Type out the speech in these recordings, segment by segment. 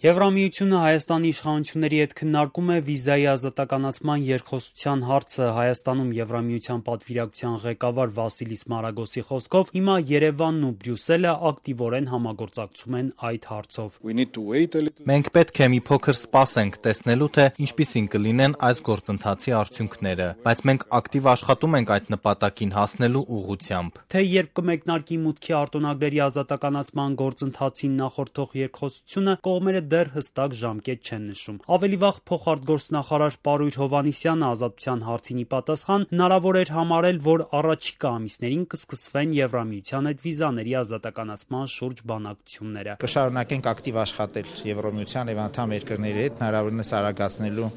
Եվրամիությունը Հայաստանի իշխանությունների հետ քննարկում է վիզայի ազատականացման երկխոսության հարցը։ Հայաստանում Եվրամիության պատվիրակության ղեկավար Վասիլիս Մարագոսի խոսքով հիմա Երևանն ու Բրյուսելը ակտիվորեն համագործակցում են այդ հարցով։ Մենք պետք է մի փոքր սպասենք տեսնելու, թե ինչպիսին կլինեն այս գործընթացի արդյունքները, բայց մենք ակտիվ աշխատում ենք այդ նպատակին հասնելու ուղղությամբ։ Թե երբ կմեկնարկի մուտքի արտոնագրերի ազատականացման գործընթացին նախորդող երկխոսությունը, կողմերը դեռ հստակ ժամկետ չեն նշում։ Ավելի վաղ փոխարտգործնախարար Պարույր Հովհաննիսյանը ազատության հարցին ի պատասխան հնարավոր էր համարել, որ առաջիկա ամիսներին կսկսվեն Եվրամիության հետ վիզաների ազատականացման շուրջ բանակցությունները։ Կշարունակենք ակտիվ աշխատել Եվրամիության եւ անդամ երկրների հետ հնարավորինս արագացնելու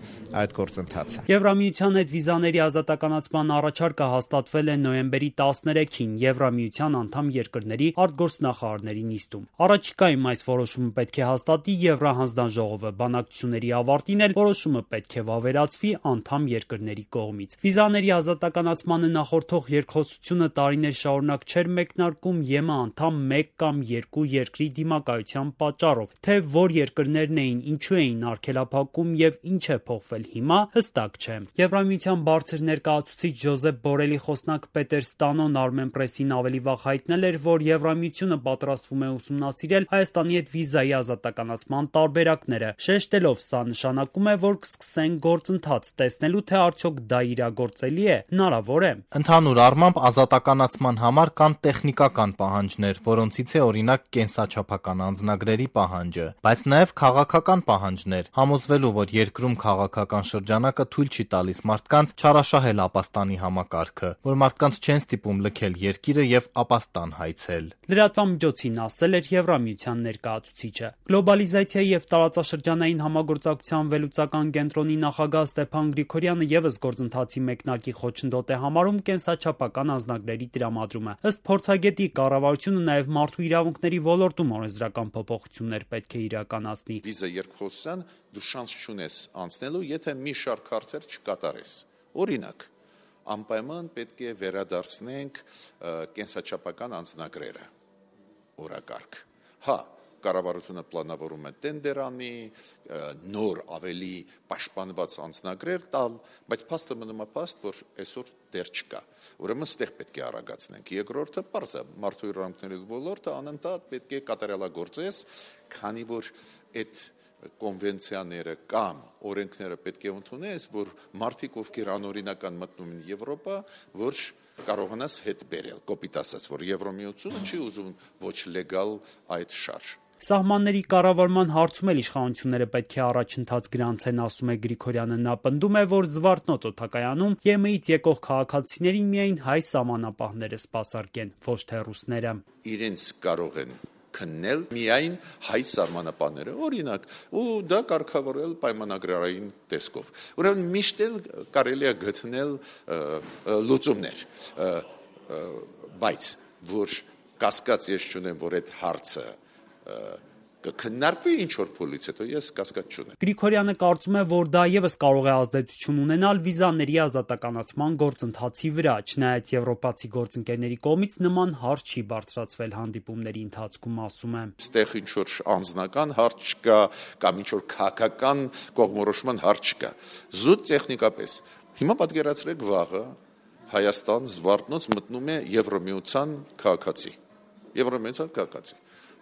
այդ գործընթացը։ Եվրամիության հետ վիզաների ազատականացման առաջարկը հաստատվել է նոյեմբերի 13-ին Եվրամիության անդամ երկրների արտգործնախարարների նիստում։ Առաջիկայում այս որոշումը պետք է հաստատի Եվրահանձնաժողովը, բանակցությունների ավարտին էլ որոշումը պետք է վավերացվի անդամ երկրների կողմից։ Վիզաների ազատականացմանը նախորդող երկխոսությունը տարիներ շարունակ չէր մեկնարկում ԵՄ անդամ 1 կամ 2 երկրի դիմակայության պատճառով, թե որ երկրներն էին, ինչու էին արգելափակում եւ ինչ է փոխվել հիմա, հստակ չէ։ Եվրամիության բարձր ներկայացուցիչ Ջոզեփ Բորելի խոսնակ Պետեր Ստանոն Armenpress-ին ավելի վաղ հայտնել էր, որ Եվրամիությունը պատրաստվում է ուսումնասիրել Հայաստանի հետ վիզայի ազատականացման տարբերակները, շեշտելով սա նշանակում է, որ կսկսեն գործընթաց, տեսնելու թե արդյոք դա իրագործելի է, հնարավոր է։ Ընդհանուր առմամբ ազատականացման համար կան տեխնիկական պահանջներ, որոնցից է օրինակ կենսաչափական անձնագրերի պահանջը, բայց նաև քաղաքական պահանջներ, համոզվելու, որ երկրում քաղաքական շրջանակը թույլ չի տալիս մարդկանց չարաշահել ապաստանի համակարգը, որ մարդկանց չեն ստիպում լքել երկիրը եւ ապաստան հայցել։ Լրատվամիջոցին ասել էր Եվրամիության ներկայացուցիչը։ Գլոբալիզացիայի եւ տարածաշրջանային համագործակցության վերլուծական կենտրոնի նախագահ Ստեփան Գրիգորյանը եւս գործընթացի մեկնարկի խոչընդոտ է համարում կենսաչափական անձնագրերի տրամադրումը։ Ըստ փորձագետի, կառավարությունը նաեւ մարդու իրավունքների ոլորտում օրենսդրական փոփոխություններ պետք է իրականացնի։ Վիզա երկխոսության դու շանս չունես անցնելու, եթե մի շարք հարցեր չկատարես։ Օրինակ, անպայման պետք է վերադարձնենք կենսաչափական անձնագրերը օրակարգ։ Հա, կառավարությունը պլանավորում է տենդեր անի, նոր ավելի պաշտպանված անձնագրեր տալ, բայց փաստը մնում է փաստ, որ այսօր դեռ չկա։ Ուրեմն ստեղ պետք է արագացնենք։ Երկրորդը պարզ է, մարդու իրավունքների ոլորտը անընդհատ պետք է կատարելագործես, քանի որ այդ կոնվենցիաները կամ օրենքները պետք է ընդունես, որ մարդիկ, ովքեր անօրինական մտնում են Եվրոպա, որ կարողանաս հետ բերել, կոպիտ ասած, որ Եվրամիությունը չի ուզում ոչ լեգալ այդ շարժ։ Սահմանների կառավարման հարցում էլ իշխանությունները պետք է առաջընթաց գրանցեն, ասում է Գրիգորյանը։ Նա պնդում է, որ Զվարթնոց օդակայանում ԵՄ-ից եկող քաղաքացիներին միայն հայ սահմանապահները սպասարկեն, ոչ թե ռուսները։ Իրենց կարող են քննել միայն հայ սահմանապահները, օրինակ, ու դա կարգավորել պայմանագրային տեսքով։ Ուրեմն միշտ էլ կարելի է գտնել լուծումներ, բայց որ կասկած ես չունեմ, որ այդ հարցը կքննարկվի ինչ-որ փուլից հետո, ես կասկած չունեմ։ Գրիգորյանը կարծում է, որ դա եւս կարող է ազդեցություն ունենալ վիզաների ազատականացման գործընթացի վրա, չնայած եվրոպացի գործընկերների կողմից նման հարց չի բարձրացվել հանդիպումների ընթացքում, ասում է։ Ստեղ ինչ-որ անձնական հարց չկա կամ ինչ-որ քաղաքական կողմնորոշման հարց չկա։ Զուտ տեխնիկապես։ Հիմա պատկերացրեք վաղը Հայաստան Զվարթնոց մտնում է Եվրամիության քաղաքացի։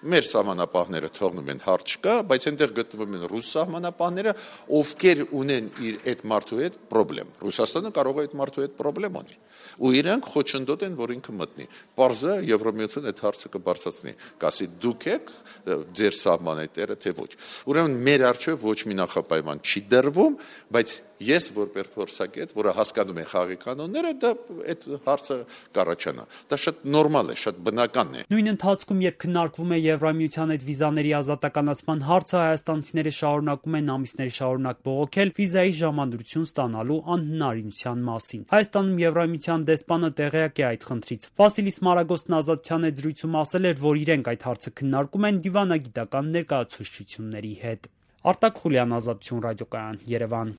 Մեր սահմանապահները թողնում են հարց չկա, բայց այնտեղ գտնվում են ռուս սահմանապահները, ովքեր ունեն իր այդ մարդու հետ պրոբլեմ։ Ռուսաստանը կարող է այդ մարդու հետ պրոբլեմ ունի։ Ու իրանք խոչընդոտ են, որ ինքը մտնի։ Պարզը Եվրամիությունը այդ հարցը կբարձրացնի, կասի դուք եք ձեր սահմանի տերը, թե ոչ։ Ուրեմն մեր առջև ոչ մի նախապայման չի դրվում, բայց ես որպես փորձագետ, որը հասկանում է խաղի կանոնները, դա այդ հարցը կառաջանա։ Դա շատ նորմալ է, շատ բնական է։ Նույն ընթացքում, երբ քննարկվում է Եվրամիության հետ վիզաների ազատականացման հարցը, հայաստանցիները շարունակում են ամիսներ շարունակ բողոքել վիզայի ժամադրություն ստանալու անհնարինության մասին։ Հայաստանում Եվրամիության դեսպանը տեղյակ է այդ խնդրից։ Վասիլիս Մարագոսն Ազատության հետ զրույցում ասել էր, որ իրենք այդ հարցը քննարկում են դիվանագիտական ներկայացուցչությունների հետ։ Արտակ Խուլյան, Ազատություն ռադիոկայան, Երևան։